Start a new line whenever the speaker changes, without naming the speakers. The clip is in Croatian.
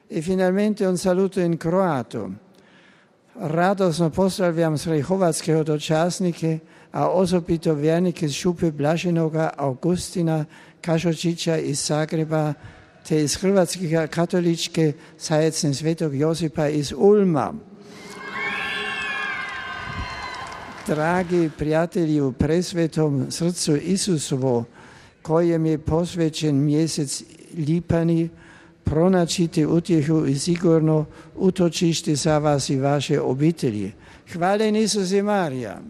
E finalmente un saluto in croato. Radosno pozdravljam sve hrvatske hodočasnike, a osobito vjernike iz Šupe Blaženoga Augustina Kašočića iz Zagreba, te iz Hrvatske katoličke zajednice Svetog Josipa iz Ulma. Dragi prijatelji u presvetom srcu Isusovo, kojem je posvećen mjesec lipani, pronaćite utjehu i sigurno utočište za vas i vaše obitelji. Hvala Isus i Marija.